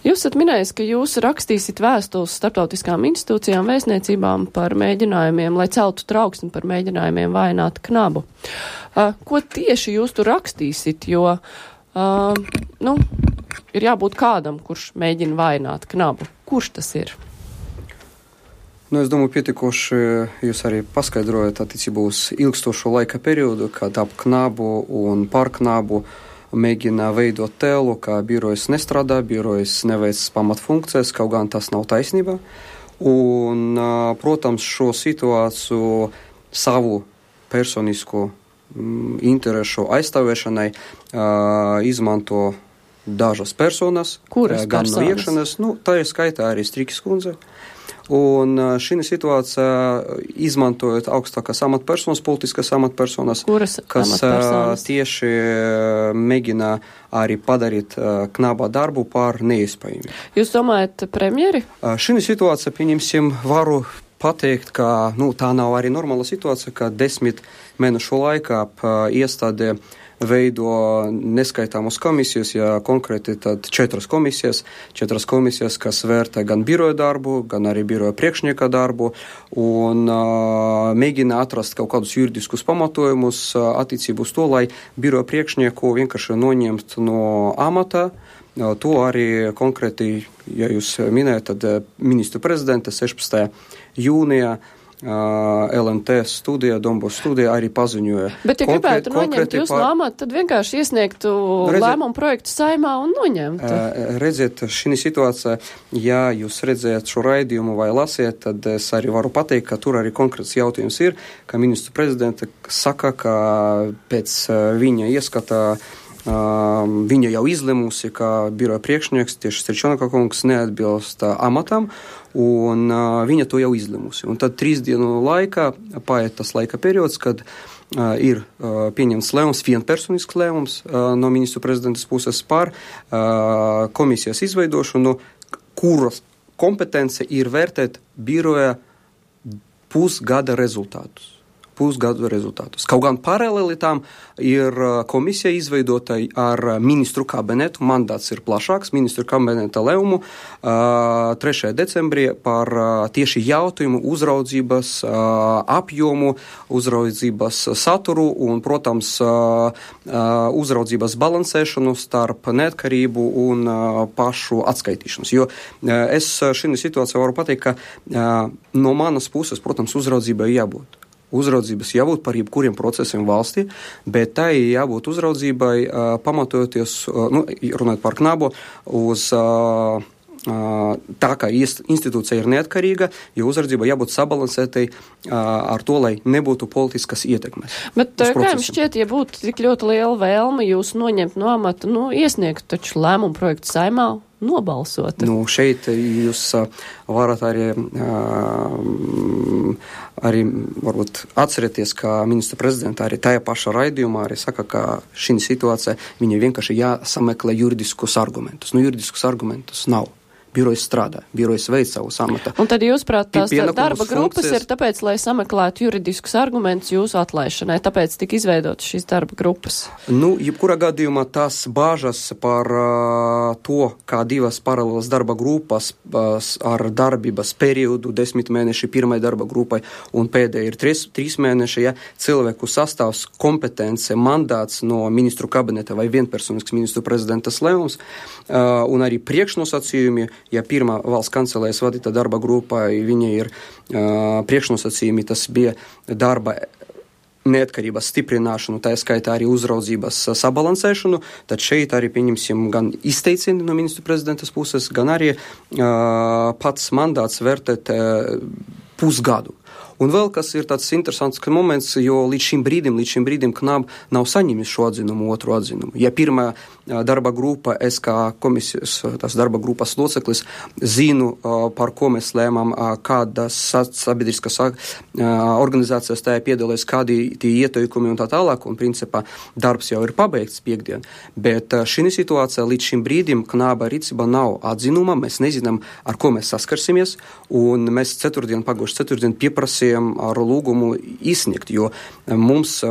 Jūs esat minējis, ka jūs rakstīsit vēstules starptautiskām institūcijām, vēstniecībām par mēģinājumiem, lai celtu trauksmi par mēģinājumiem vainot Knabu. Ko tieši jūs tur rakstīsit, jo, ir jābūt kādam, kurš mēģina vainot Knabu. Kurš tas ir? Es domāju, pietiekoši jūs arī paskaidrojat attiecībā uz ilgstošo laika periodu, kad ap Knabu un par Knabu mēģina veidot tēlu, ka birojas nestrādā, birojas neveic pamatfunkcijas, kaut gan tas nav taisnība. Un, protams, šo situāciju savu personisko interešu aizstāvēšanai izmanto dažas personas. Kuras gan personas? No iekšanas, tā ir skaitā arī Strīkas kundze. Un šī situācija, izmantojot augstākās amatpersonas, politiskas amatpersonas, kas tieši mēģina arī padarīt Knaba darbu par neiespējami. Jūs domājat premjeri? Šī situācija, pieņemsim, varu pateikt, ka tā nav arī normāla situācija, ka 10 mēnešu laikā iestāde veido neskaitāmas komisijas, ja konkrēti tad 4 komisijas, kas vērtē gan biroja darbu, gan arī biroja priekšnieka darbu un mēģina atrast kaut kādus juridiskus pamatojumus attiecībā uz to, lai biroja priekšnieku vienkārši noņemt no amata. To arī konkrēti, ja jūs minējat, tad ministru prezidenta 16. jūnijā LMT studija, Dombos studija arī paziņoja. Bet, ja gribētu noņemt jūs no amata, tad vienkārši iesniegtu lēmumu projektu Saeimā un noņemtu. Redziet, šī situācija, ja jūs redzējat šo raidījumu vai lasiet, tad es arī varu pateikt, ka tur arī konkrēts jautājums ir, ka ministru prezidenta saka, ka pēc viņa ieskata viņa jau izlemusi, ka biroja priekšnieks tieši Stričonaka kungs neatbilst amatam, un viņa to jau izlemusi. Un tad 3 dienu laikā paiet tas laika periods, kad ir pieņemts lēmums, vienpersonisks lēmums no ministru prezidentas puses par komisijas izveidošanu, kuras kompetence ir vērtēt biroja pusgada rezultātus. Kaut gan paralēli tam ir komisija izveidota ar ministru kabinetu, mandāts ir plašāks, ministru kabineta lēmumu 3. decembrī par tieši jautājumu uzraudzības apjomu, uzraudzības saturu un, protams, uzraudzības balansēšanu starp neatkarību un pašu atskaitīšanos. Jo es šī situācija varu pateikt, ka no manas puses, protams, uzraudzībai jābūt. Uzraudzības jābūt par jebkuriem procesiem valstī, bet tai jābūt uzraudzībai pamatojoties, runājot par Knabu, uz tā, ka institūcija ir neatkarīga, jo uzraudzība jābūt sabalansētai ar to, lai nebūtu politiskas ietekmes. Bet kā jums šķiet, ja būtu tik ļoti liela vēlme jūs noņemt no amata, iesniegt taču lēmumu projektu Saeimā, nobalsot? Šeit jūs varat arī varbūt atcerieties, ka ministra prezidenta arī tajā pašā raidījumā arī saka, ka šī situācija viņa vienkārši jāsameklē juridiskus argumentus. Juridiskus argumentus nav. Birojas strādā, birojas veic savu amata. Un tad jūs prāt, tās darba grupas ir tāpēc, lai sameklētu juridiskus argumentus jūsu atlaišanai, tāpēc tika izveidotas šīs darba grupas? Jebkurā gadījumā tās bāžas par to, kā 2 paralēlas darba grupas ar darbības periodu 10 mēneši pirmai darba grupai un pēdējai ir 3 mēneši, ja cilvēku sastāvs, kompetence, mandāts no ministru kabineta vai vienpersonisks ministru prezidentas lēmums un arī priekšnosacījumi. Ja pirmā valsts kancelējas vadīta darba grupa, viņa ir priekšnosacījumi, tas bija darba neatkarības stiprināšanu, tā skaitā arī uzraudzības sabalansēšanu, tad šeit arī pieņemsim gan izteicieni no ministru prezidentas puses, gan arī pats mandāts vērtēt pusgadu. Un vēl kas ir tāds interesants moments, jo līdz šim brīdim Knab nav saņēmis šo atzinumu, otru atzinumu. Ja pirmā darba grupa, es kā komisijas, tās darba grupas loceklis, zinu, par ko mēs lēmām, kādas sabiedriskas organizācijas tajā piedalās, kādi tie ieteikumi un tā tālāk, un principā darbs jau ir pabeigts piekdien. Bet šī situācija līdz šim brīdim Knaba rīcībā nav atzinuma, mēs nezinām, ar ko mēs saskarsimies, un mēs pagājušajā ceturtdien pieprasījām ar lūgumu izsniegt, jo mums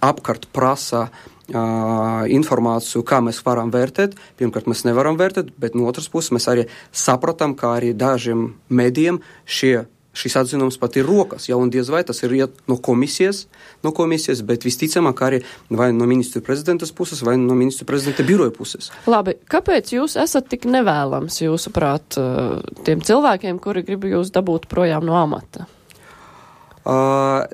apkārt prasa informāciju, kā mēs varam vērtēt. Pirmkārt, mēs nevaram vērtēt, bet no otras puses mēs arī sapratam, kā arī dažiem medijiem šis atzinums pat ir rokas, ja, un diez vai tas ir no komisijas, bet visticamāk arī vai no ministru prezidentas puses, vai no ministru prezidenta biroja puses. Labi, kāpēc jūs esat tik nevēlams, jūsuprāt, tiem cilvēkiem, kuri grib jūs dabūt projām no amata?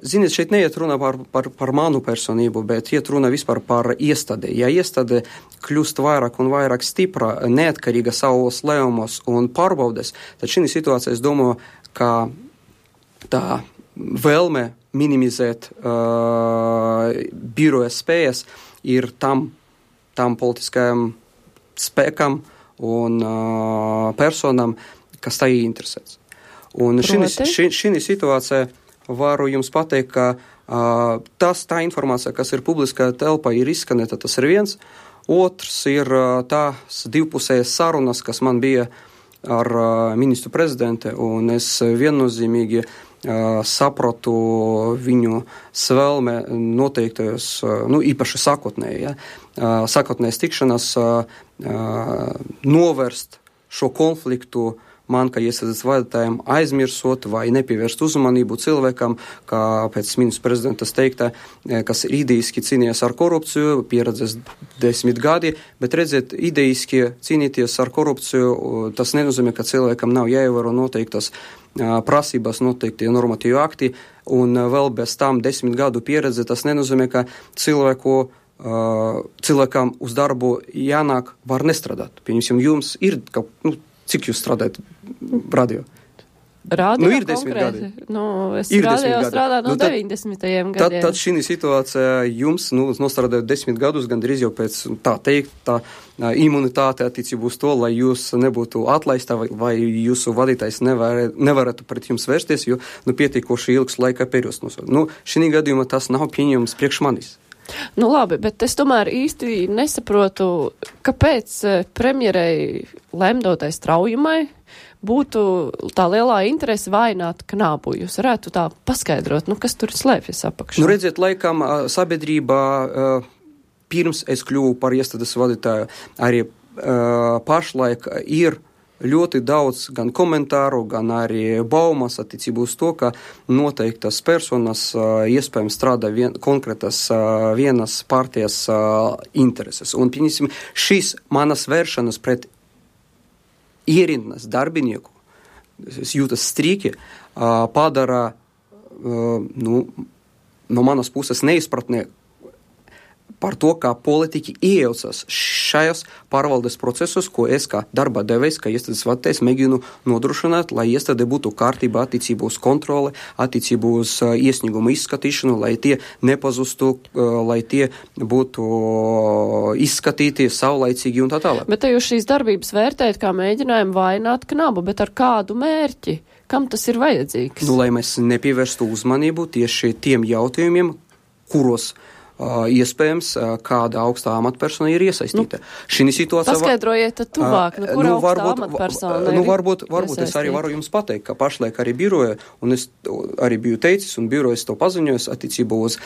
Ziniet, šeit neiet runa par manu personību, bet iet runa vispār par iestādi. Ja iestāde kļūst vairāk un vairāk stipra, neatkarīga savos lēmumos un pārbaudes, tad šī situācija, es domāju, ka tā vēlme minimizēt biroja spējas ir tam politiskajam spēkam un personam, kas tā interesēs. Un šī situācija varu jums pateikt, ka tā informācija, kas ir publiskā telpā, ir izskanēta, tas ir viens. Otrs ir tās divpusējas sarunas, kas man bija ar ministru prezidente, un es viennozīmīgi sapratu viņu svēlme noteiktajos, īpaši sākotnējas tikšanās novērst šo konfliktu man, kā iestādes vadītājiem, aizmirsot vai nepievērst uzmanību cilvēkam, kā pēc ministra prezidentas teiktā, kas ideiski cīnījās ar korupciju, pieredzes 10 gadi, bet redziet, ideiski cīnīties ar korupciju, tas nenozīmē, ka cilvēkam nav jāievēro noteiktas prasības, noteikti normatīvi akti, un vēl bez tam 10 gadu pieredze, tas nenozīmē, ka cilvēkam uz darbu jānāk var nestrādāt. Pieņemsim, jums ir cik jūs strādājat radio? Radio ir 10 gadi. Es radio strādāju no 90. gadiem. Tad šī situācija jums, nostrādājot 10 gadus, gandrīz jau pēc tā imunitāte attiecībā uz to, lai jūs nebūtu atlaista vai jūsu vadītājs nevarētu pret jums vērsties, jo pietiekoši ilgs laika periods. Šī gadījumā tas nav pieņemams priekš manis. Labi, bet es tomēr īsti nesaprotu, kāpēc premjerei lemdotai Straujumai būtu tā lielā interese vainot Knabu. Jūs varētu tā paskaidrot, kas tur slēpjas apakšā? Redziet, laikam sabiedrībā pirms es kļuvu par iestādes vadītāju, arī pašlaik ir ļoti daudz gan komentāru, gan arī baumas attiecībā uz to, ka noteiktas personas iespējams strādā konkrētas vienas partijas intereses. Un, pieņemsim, šis manas vēršanas pret ierindnes darbinieku, es jūtas strīki, padara, no manas puses neizpratnē par to, kā politiķi iejaucas šajos pārvaldes procesos, ko es kā darba devējs, kā iestādes vadītājs mēģinu nodrošināt, lai iestāde būtu kārtībā attiecībā uz kontroli, attiecībā uz iesniegumu izskatīšanu, lai tie nepazustu, lai tie būtu izskatīti saulaicīgi un tā tālāk. Bet te jūs šīs darbības vērtējat kā mēģinājumu vainot Knabu, bet ar kādu mērķi? Kam tas ir vajadzīgs? Lai mēs nepievērstu uzmanību tieši tiem jautājumiem, kuros iespējams, kāda augstā amatpersona ir iesaistīta. Paskaidrojiet tad tuvāk, kur augstā amatpersona ir varbūt es arī varu jums pateikt, ka pašlaik arī biroja, un es arī biju teicis, un birojas to paziņojis attiecībā uz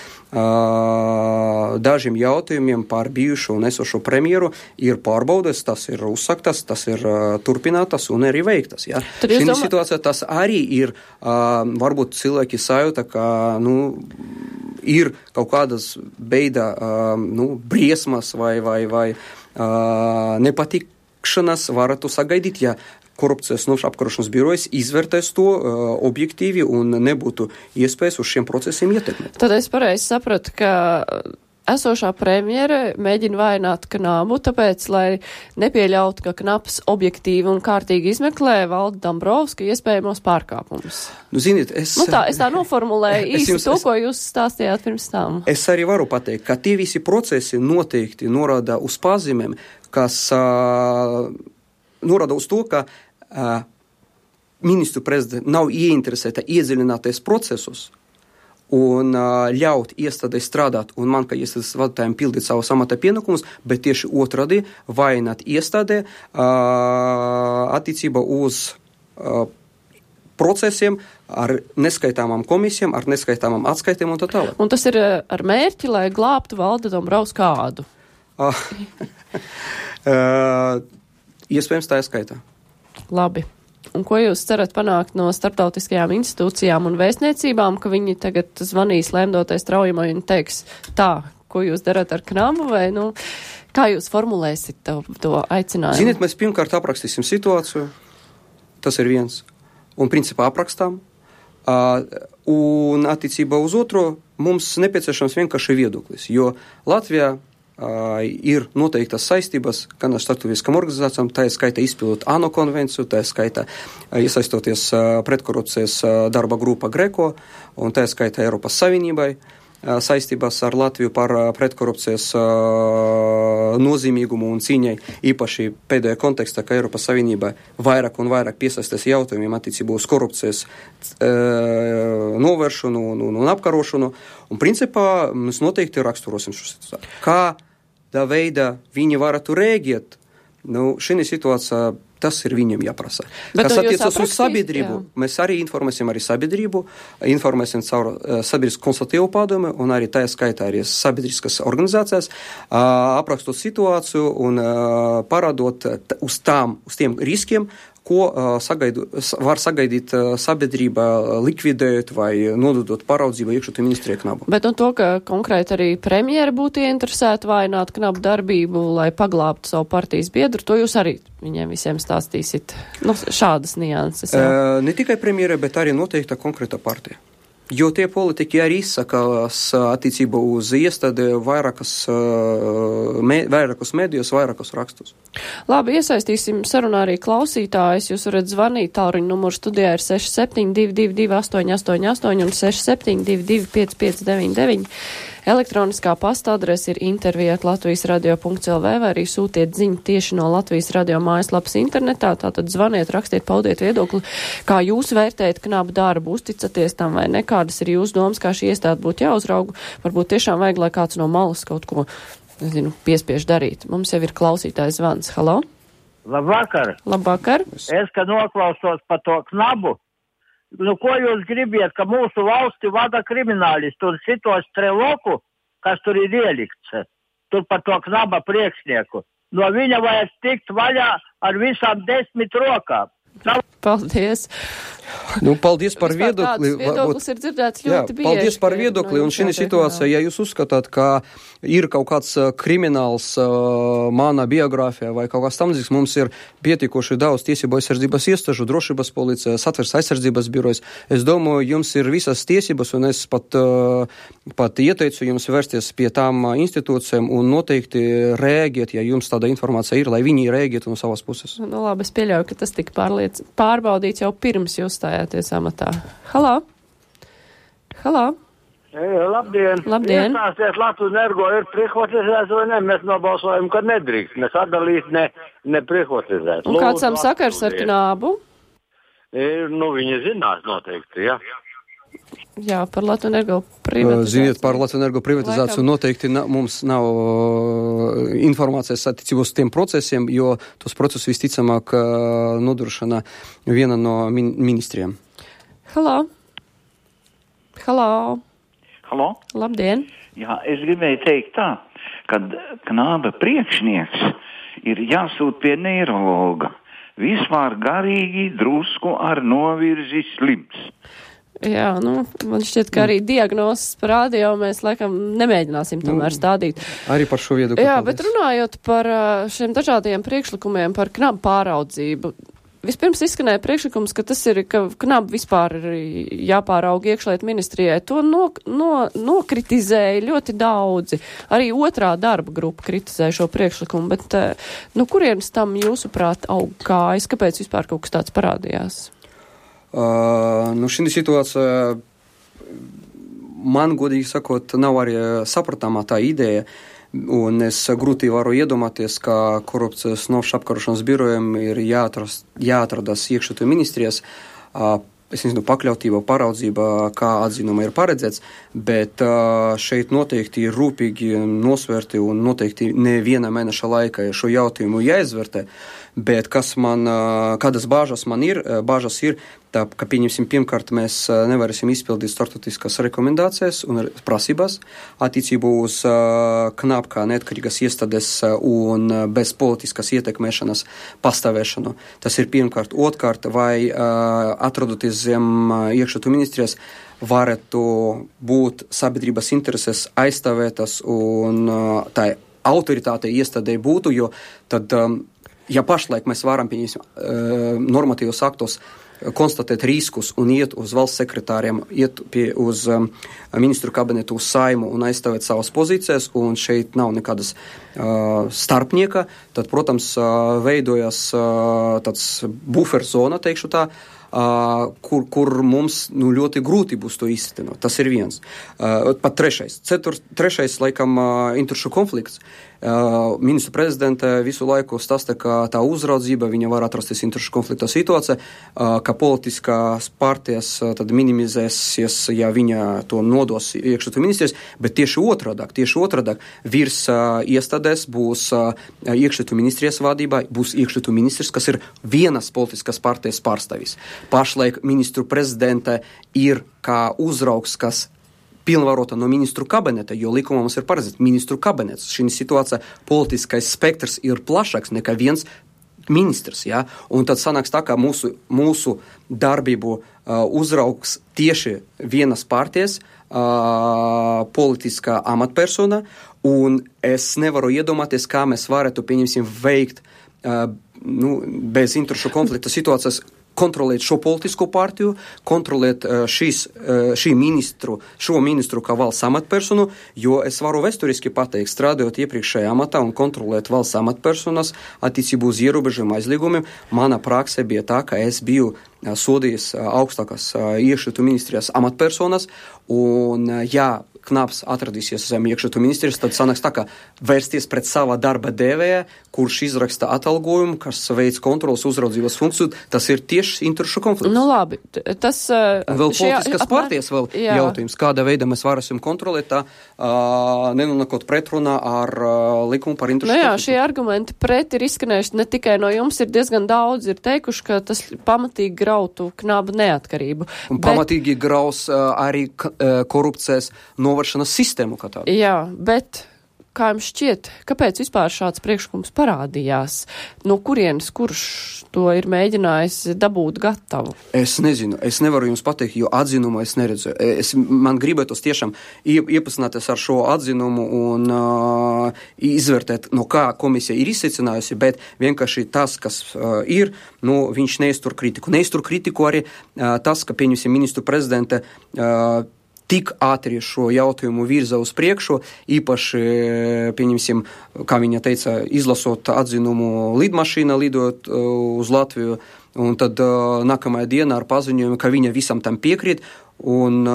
dažiem jautājumiem par bijušo un esošo premjeru ir pārbaudes, tas ir uzsaktas, tas ir turpinātas un arī veiktas. Ja? Šī situācija tas arī ir, varbūt cilvēki sajūta, ka, ir kaut kādas beida, briesmas vai nepatikšanas varētu sagaidīt, ja korupcijas apkarošanas birojas izvērtēs to objektīvi un nebūtu iespējas uz šiem procesiem ietekmēt. Tad es pareizi sapratu, ka esošā premjere mēģina vainot Knabu, tāpēc, lai nepieļautu, ka Knabs objektīvi un kārtīgi izmeklē Valdi Dombrovska iespējamos pārkāpumus. Ziniet, es tā noformulēju īsti to, ko jūs stāstījāt pirms tam. Es arī varu pateikt, ka tie visi procesi noteikti norāda uz pazīmēm, kas norāda uz to, ka ministru prezidenta nav ieinteresēta iedziļināties procesus un ļaut iestādē strādāt un man, kā iestādes vadītājiem, pildīt savus amata pienākumus, bet tieši otrādi vainot iestādē attiecībā uz procesiem, ar neskaitāmām komisijām, ar neskaitāmām atskaitiem un tā tālāk. Un tas ir ar mērķi, lai glābtu Valdi Dombrovskādu? Iespējams, tā ir skaitā. Labi. Un ko jūs cerat panākt no starptautiskajām institūcijām un vēstniecībām, ka viņi tagad zvanīs lēmdotai straujumai un teiks tā, ko jūs darat ar Knabu, vai, kā jūs formulēsit to aicinājumu? Ziniet, mēs pirmkārt aprakstīsim situāciju, tas ir viens, un principā aprakstām, un attiecībā uz otro mums nepieciešams vienkārši viedoklis, jo Latvijā ir noteiktas saistības gan ar starptautiskām organizācijām, tā ir skaitā izpildot ANO konvenciju, tā ir skaitā iesaistoties pretkorupcijas darba grupa Greko, un tā ir skaitā Eiropas Savienībai saistības ar Latviju par pretkorupcijas nozīmīgumu un cīņai, īpaši pēdējā kontekstā, ka Eiropas Savienība vairāk un vairāk piesaistās jautājumiem attiecībā uz korupcijas novēršanu un apkarošanu. Un principā mēs noteikti raksturosim šo situāciju. Kādā veidā viņi varētu rēģēt, šī situācija, tas ir viņiem jāprasa. Kas attiecas uz sabiedrību, mēs arī informēsim sabiedrību, informēsim caur sabiedrisku konsultatīvu padomi un arī tā skaitā arī sabiedriskas organizācijas, aprakstot situāciju un parādot uz tiem riskiem, ko var sagaidīt sabiedrība likvidējot vai nododot paraudzību iekšlietu ministrijai Knabu. Bet to, ka konkrēti arī premjera būtu ieinteresēta vājināt Knabu darbību, lai paglābtu savu partijas biedru, to jūs arī viņiem visiem stāstīsit. Šādas nianses. Ne tikai premjera, bet arī noteikta konkrēta partija. Jo tie politiķi arī izsakās attiecībā uz iestādi vairākus medijus, vairākus rakstus. Labi, iesaistīsim sarunā arī klausītājus. Jūs varat zvanīt, tālruņa numurs studijā ir 6722 888 un 6722 5599. Elektroniskā pasta adrese ir intervija@latvijasradio.lv vai arī sūtiet ziņu tieši no Latvijas radio mājaslapas internetā. Tātad zvaniet, rakstiet, paudiet viedokli, kā jūs vērtējat Knabu darbu, uzticaties tam vai ne, kādas ir jūsu domas, kā šī iestāde būtu jāuzrauga. Varbūt tiešām vajag, lai kāds no malas kaut ko, piespiež darīt. Mums jau ir klausītājs zvans. Halo? Labvakar. Labvakar. Es, kad noklausos par to Knabu, ko jūs gribiet, ka mūsu valsti vada kriminālisti un šitos treloku, kas tur ir ielikts, tur par to Knaba priekšnieku. No viņa vajag tikt vaļā ar visām 10 rokām. Paldies. Paldies par viedokli. Viedoklis ir dzirdēts ļoti bieži. Paldies par viedokli. Un šī situācija, ja jūs uzskatāt, ka ir kaut kāds krimināls manā biogrāfijā vai kaut kāds tamdzīgs, mums ir pietiekoši daudz tiesību aizsardzības iestāžu, drošības policija, satversmes aizsardzības birojas. Es domāju, jums ir visas tiesības, un es pat ieteicu jums vērsties pie tām institūcijām un noteikti rēģēt, ja jums tāda informācija ir, lai viņi rēģētu no savas puses. Labi, es pieļauju, ka tas tika pārbaudīts jau pirms jūs stājāties amatā. Halo? Labdien! Labdien! Iestāsties Latvijas energo ir privatizēts vai ne? Mēs nobalsojam, ka nedrīkst. Mēs atdalīt ne privatizēt. Un kāds tam sakars ar Knabu? Viņi zinās noteikti, jā. Jā, par Latvijas energo privatizāciju. Ziniet, par Latvijas energo privatizāciju noteikti mums nav informācijas attiecībā uz tiem procesiem, jo tos procesus visticamāk nodrošina viena no ministrijām. Halo? Labdien! Jā, es gribēju teikt tā, kad Knaba priekšnieks ir jāsūt pie neirologa. Vispār garīgi drusku ar novirzi slims. Jā, man šķiet, ka arī diagnozes parādīja, mēs laikam nemēģināsim tomēr stādīt. Arī par šo viedokli. Jā, bet runājot par šiem dažādiem priekšlikumiem par Knabu pāraudzību, vispirms izskanēja priekšlikums, ka tas ir, ka Knabu vispār ir jāpārauga iekšlietu ministrijai. To nokritizēja ļoti daudzi. Arī otrā darba grupa kritizēja šo priekšlikumu, bet kurienes tam jūsuprāt aug kājas? Kāpēc vispār kaut kas tāds parādījās? Šī situācija, man godīgi sakot, nav arī sapratāmā tā ideja, un es grūti varu iedomāties, ka korupcijas novēršanas apkarošanas birojiem ir jāatrodas iekšlietu ministrijas, pakļautība, paraudzība, kā atzinuma ir paredzēts, bet šeit noteikti ir rūpīgi nosvērti un noteikti neviena mēneša laikā šo jautājumu jāizvērtē, bet kādas bāžas man ir, tā, ka, pieņemsim, pirmkārt, mēs nevarēsim izpildīt starptautiskas rekomendācijas un prasības attiecībā uz KNAB kā neatkarīgas iestādes un bez politiskas ietekmēšanas pastāvēšanu. Tas ir pirmkārt. Otrkārt, vai atrodoties zem iekšlietu ministrijas, varētu būt sabiedrības intereses aizstāvētas un tā autoritāte iestādē būtu, jo tad, ja pašlaik mēs varam, pieņemsim, normatīvos aktos konstatēt riskus un iet uz valsts sekretāriem, uz ministru kabinetu, uz Saimu un aizstāvēt savas pozīcijas, un šeit nav nekādas starpnieka, tad, protams, veidojas tāds buffer zona, teikšu tā, kur mums ļoti grūti būs to iztenot. Tas ir viens. Pat trešais, laikam, interešu konflikts. Ministru prezidenta visu laiku stāsta, ka tā uzraudzība, viņa var atrasties interešu konflikta situācija, ka politiskās partijas tad minimizēsies, ja viņa to nodos iekšlietu ministrijas, bet tieši otrādāk virs iestādēs būs iekšlietu ministrijas vadībā, būs iekšlietu ministrs, kas ir vienas politiskas partijas pārstāvis. Pašlaik ministru prezidenta ir kā uzraugs, kas pilnvarota no ministru kabineta, jo likumā mums ir paredzēts ministru kabinets. Šī situācija politiskais spektrs ir plašāks nekā viens ministrs, ja? Un tad sanāks tā, ka mūsu darbību uzraugs tieši vienas partijas politiskā amatpersona, un es nevaru iedomāties, kā mēs varētu, pieņemsim, veikt bez interešu konflikta situācijas, kontrolēt šo politisko partiju, kontrolēt šo ministru kā valsts amatpersonu, jo es varu vēsturiski pateikt, strādājot iepriekšējā amatā un kontrolēt valsts amatpersonas attiecībā uz ierobežojumu aizliegumiem, mana prakse bija tā, ka es biju sodījis augstākās iekšlietu ministrijas amatpersonas, un ja KNABs atradīsies zem iekšlietu ministrijas, tad sanāks tā, ka vērsties pret sava darba devēja, kurš izraksta atalgojumu, kas veids kontrolas uzraudzības funkciju, tas ir tieši interešu konflikts. Nu labi, tas... Un vēl politiskas partijas vēl jautājums, kāda veida mēs varēsim kontrolēt tā, nenonākot pretrunā ar likumu par interešu konfliktu. Šie argumenti pret ir izskanējuši ne tikai no jums, ir diezgan daudz, ir teikuši, ka tas pamatīgi grautu KNAB neatkarību. Un pamatīgi graus arī korupcijas novēršanas sistēmu kā tādu. Jā, bet kā jums šķiet, kāpēc vispār šāds priekšlikums parādījās? No kurienes, kurš to ir mēģinājis dabūt gatavu? Es nezinu, es nevaru jums pateikt, jo atzinumu es neredzu. Man gribētos tiešām iepazīstināties ar šo atzinumu un izvērtēt, no kā komisija ir izsecinājusi, bet vienkārši tas, kas ir, viņš neiztur kritiku. Neiztur kritiku arī tas, ka, pieņemsim, ministru prezidenta tik ātri šo jautājumu virza uz priekšu, īpaši, pieņemsim, kā viņa teica, izlasot atzinumu lidmašīna, lidot uz Latviju, un tad nākamajā dienā ar paziņojumu, ka viņa visam tam piekrīt, un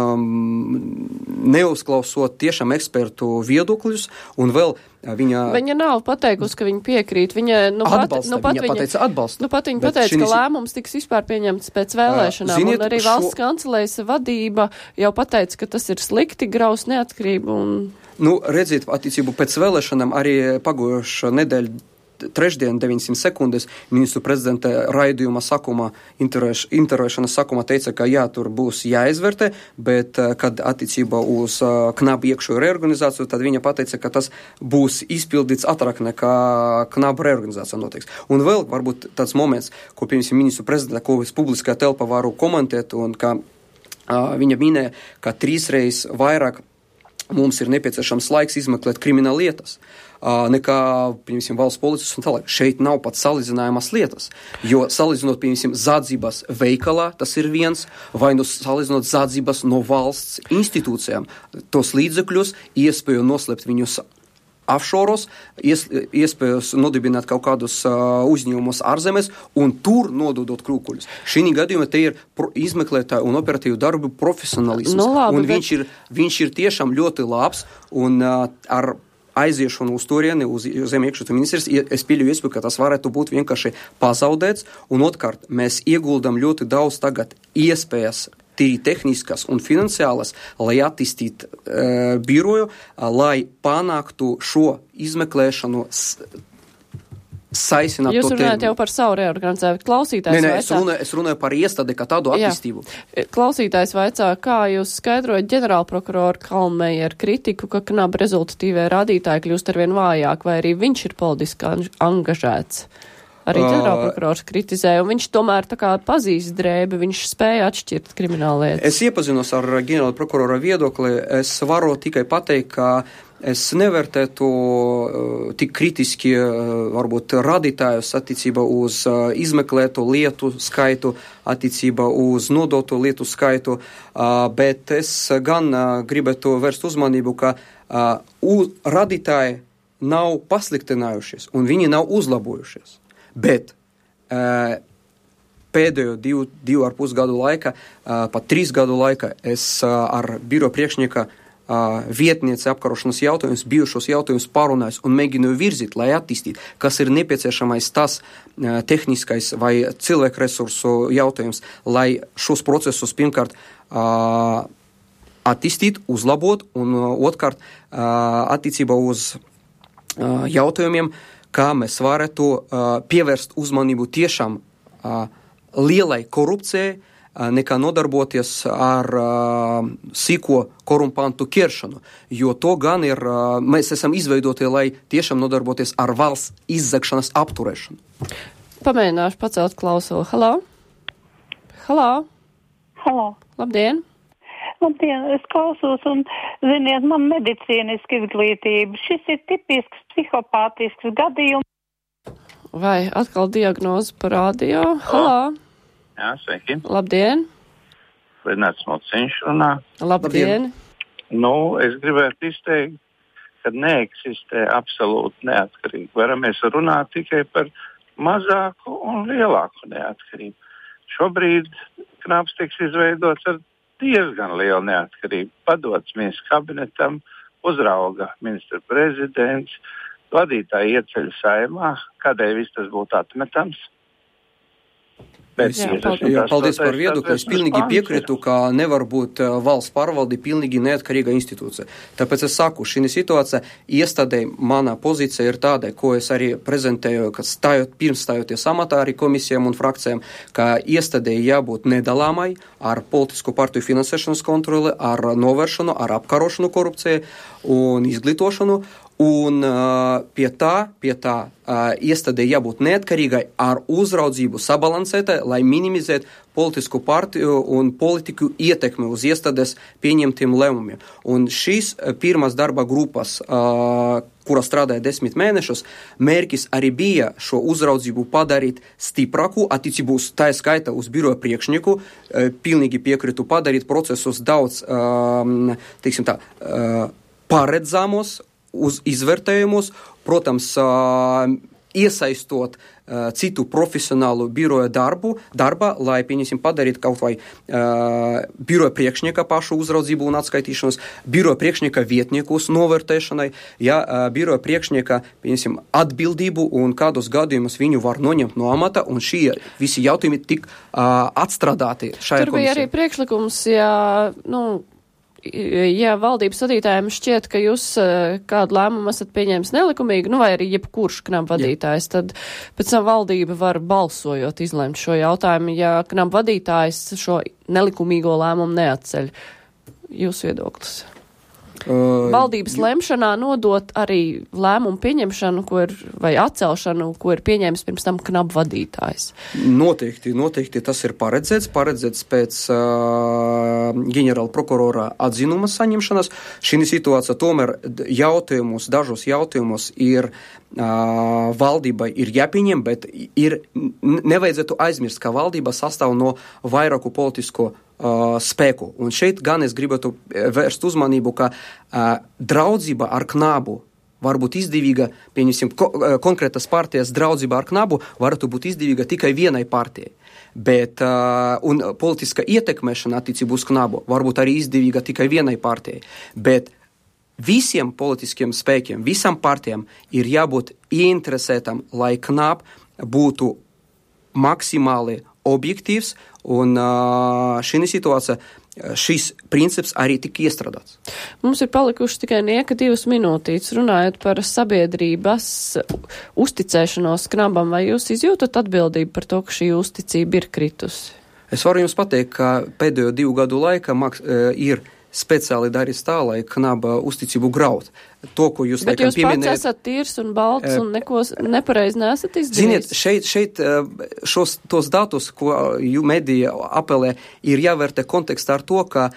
neuzklausot tiešām ekspertu viedokļus, un vēl Viņa nav pateikusi, ka viņa piekrīt. Viņa pateica atbalstu. Viņa pateica, ka lēmums tiks vispār pieņemts pēc vēlēšanām. Un arī valsts kancelējas vadība jau pateica, ka tas ir slikti, graus neatkarību. Redziet, attiecību pēc vēlēšanām arī pagājušā nedēļa trešdien 900 sekundes ministru prezidenta raidījuma sākumā, intervēšanas sākumā teica, ka jā, tur būs jāizvērtē, bet kad attiecībā uz KNAB iekšējo reorganizāciju, tad viņa pateica, ka tas būs izpildīts ātrāk nekā KNAB reorganizācija notiks. Un vēl varbūt tāds moments, ko piemēram ministru prezidenta, ko es publiskajā telpā varu komentēt, un ka viņa minēja, ka 3 reizes vairāk mums ir nepieciešams laiks izmeklēt krimināla lietas, nekā, piemēram, valsts policis un tālāk. Šeit nav pat salīdzinājamas lietas, jo salīdzinot, piemēram, zādzības veikalā, tas ir viens, vai salīdzinot zādzības no valsts institūcijām, tos līdzekļus, iespēju noslēpt viņus offshore, iespējas nodibināt kaut kādus uzņēmumus ārzemēs un tur nododot krūkuļus. Šī gadījumā te ir izmeklētāju un operatīvu darbu profesionalisms. Un viņš ir tiešām ļoti labs un ar aiziešanu uz turieni, uz zem iekšlietu ministrijas, es pieļauju iespēju, ka tas varētu būt vienkārši pazaudēts. Un otrkārt, mēs ieguldam ļoti daudz tagad iespējas tīri tehniskas un finansiālas, lai attīstītu biroju, lai panāktu šo izmeklēšanu saisināt Jūs to runājat terminu. jau par savu reorganizēju. Klausītājs Es runāju par iestādi kā tādu attīstību. Klausītājs vaicā, kā jūs skaidrojat ģenerālprokuroru Kalnmejeru kritiku, ka knaba rezultatīvie rādītāji kļūst arvien vājāk, vai arī viņš ir politiski angažēts? Arī ģenerālprokurors kritizē, un viņš tomēr tā kā pazīst drēbi, viņš spēja atšķirt krimināllietas. Es iepazinos ar ģenerālprokurora viedokli, es varu tikai pateikt, ka es nevērtētu tik kritiski varbūt radītājus attiecībā uz izmeklētu lietu skaitu, attiecībā uz nodotu lietu skaitu, bet es gan gribētu vērst uzmanību, ka radītāji nav pasliktinājušies un viņi nav uzlabojušies. Bet pēdējo 2,5 gadu laika, pat 3 gadu laika es ar biro priekšnieka vietniece apkarošanas jautājumus, bijušos jautājumus pārunājis un mēģināju virzīt, lai attīstītu, kas ir nepieciešamais tas tehniskais vai cilvēku resursu jautājums, lai šos procesus pirmkārt attīstīt, uzlabot un otrkārt attiecībā uz jautājumiem, kā mēs varētu pievērst uzmanību tiešām lielai korupcijai, nekā nodarboties ar sīko korumpantu ķeršanu, jo to gan ir, mēs esam izveidoti, lai tiešām nodarboties ar valsts izzagšanas apturēšanu. Pamēģināšu pacelt klausuli. Halo? Halo? Halo. Labdien! Labdien, es klausos un, ziniet, man medicīniska izglītība. Šis ir tipisks psihopātisks gadījums. Vai atkal diagnoze par radio? Halo! Jā, sveiki. Labdien! Lidināts Mociņš runā. Labdien! Nu, es gribētu izteikt, ka neeksistē absolūti neatkarība. Varamies runāt tikai par mazāku un lielāku neatkarību. Šobrīd Knabs tiks izveidots ar diezgan lielu neatkarību. Padots ministru kabinetam, uzrauga ministra prezidents, vadītāji ieceļ Saeimā, kādēļ viss tas būtu atmetams. Paldies par viedokli. Es pilnīgi piekrītu, ka nevar būt valsts pārvalde pilnīgi neatkarīga institūcija. Tāpēc es saku, šī situācija iestādē mana pozīcija ir tāda, ko es arī prezentēju, ka pirms stājoties amatā arī komisijām un frakcijām, ka iestādē jābūt nedalāmai ar politisko partiju finansēšanas kontroli, ar novēršanu, ar apkarošanu korupcijai un izglītošanu. Un pie tā iestādē jābūt neatkarīgai ar uzraudzību sabalansētai, lai minimizētu politisku partiju un politiku ietekmi uz iestādes pieņemtiem lēmumiem. Un šīs pirmās darba grupas, kura strādāja 10 mēnešus, mērķis arī bija šo uzraudzību padarīt stiprāku, attiecībā uz tā skaita uz biroja priekšnieku, pilnīgi piekritu padarīt procesus daudz, teiksim tā, paredzamos, uz izvērtējumus, protams, iesaistot citu profesionālu biroja darba, lai, pieņemsim, padarīt kaut vai biroja priekšnieka pašu uzraudzību un atskaitīšanos, biroja priekšnieka vietniekus novērtēšanai, biroja priekšnieka, pieņemsim, atbildību un kādos gadījumus viņu var noņemt no amata, un šie visi jautājumi tik atstrādāti šajā komisijā. Tur bija arī priekšlikums, ja valdības vadītājiem šķiet, ka jūs kādu lēmumu esat pieņēmis nelikumīgi, vai arī jebkurš Knaba vadītājs, tad pēc tam valdība var balsojot izlemt šo jautājumu, ja Knaba vadītājs šo nelikumīgo lēmumu neatceļ. Jūsu viedoklis? Valdības lemšanā nodot arī lēmumu pieņemšanu, vai atcelšanu, ko ir pieņēmis pirms tam Knaba vadītājs. Noteikti tas ir paredzēts pēc ģenerāla prokurora atzinuma saņemšanas. Šī situācija tomēr dažos jautājumus ir valdībai ir jāpieņem, bet nevajadzētu aizmirst, ka valdība sastāv no vairāku politisko spēku. Un šeit gan es gribētu vērst uzmanību, ka draudzība ar Knabu var būt izdevīga, pieņemsim, konkrētas partijas draudzība ar Knabu varētu būt izdevīga tikai vienai partijai. Bet, un politiska ietekmēšana attiecībā uz Knabu var būt arī izdevīga tikai vienai partijai. Bet visiem politiskiem spēkiem, visam partijām ir jābūt ieinteresētam, lai Knab būtu maksimāli objektīvs, un šī situācija šis princips arī tika iestrādāts. Mums ir palikuši tikai nieka 2 minūtītes runājot par sabiedrības uzticēšanos knabam. Vai jūs izjūtat atbildību par to, ka šī uzticība ir kritusi? Es varu jums pateikt, ka pēdējo 2 gadu laikā ir speciāli darīs tā, lai knaba uzticību graut. To, ko jūs Bet jūs pats esat tīrs un balts un neko nepareizi nesat izdarījis? Ziniet, šeit tos datus, ko medija apelē, ir jāvērtē kontekstā ar to, ka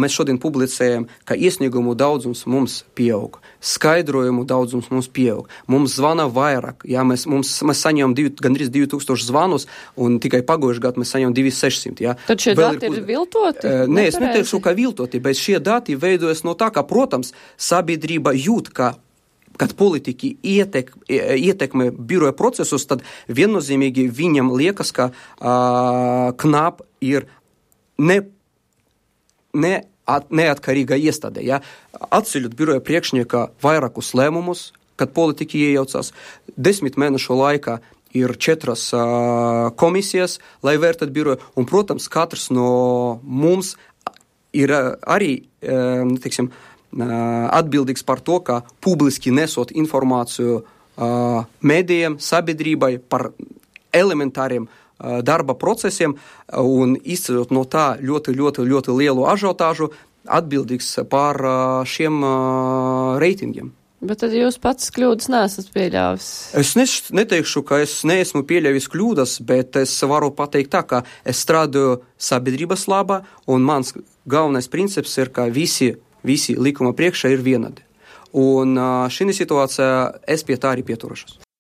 mēs šodien publicējam, ka iesniegumu daudzums mums pieaug, skaidrojumu daudzums mums pieaug, mums zvana vairāk, mēs saņemam gandrīz 2000 zvanus, un tikai pagājušajā gadā mēs saņemam 2600. Ja. Tad šie dati ir viltoti? Nē, es neteikšu, ka viltoti, bet šie dati veidojas no tā, ka, protams, sabiedrība jūt, kad politiķi ietekmē biroja procesus, tad viennozīmīgi viņam liekas, ka KNAB ir neatkarīga iestāde. Ja? Atceļot biroja priekšnieka vairākus lēmumus, kad politiķi iejaucās, 10 mēnešu laikā ir 4 komisijas, lai vērtētu biroju, un, protams, katrs no mums ir arī, teiksim, atbildīgs par to, ka publiski nesot informāciju medijiem, sabiedrībai par elementāriem darba procesiem un izceļot no tā ļoti lielu ažiotāžu, atbildīgs par šiem reitingiem. Bet tad jūs pats kļūdas neesat pieļāvis? Es neteikšu, ka es neesmu pieļāvis kļūdas, bet es varu pateikt tā, ka es strādāju sabiedrības labā, un mans galvenais princips ir, ka visi likuma priekšā ir vienādi. Un šī situācija es pie tā arī pieturušos.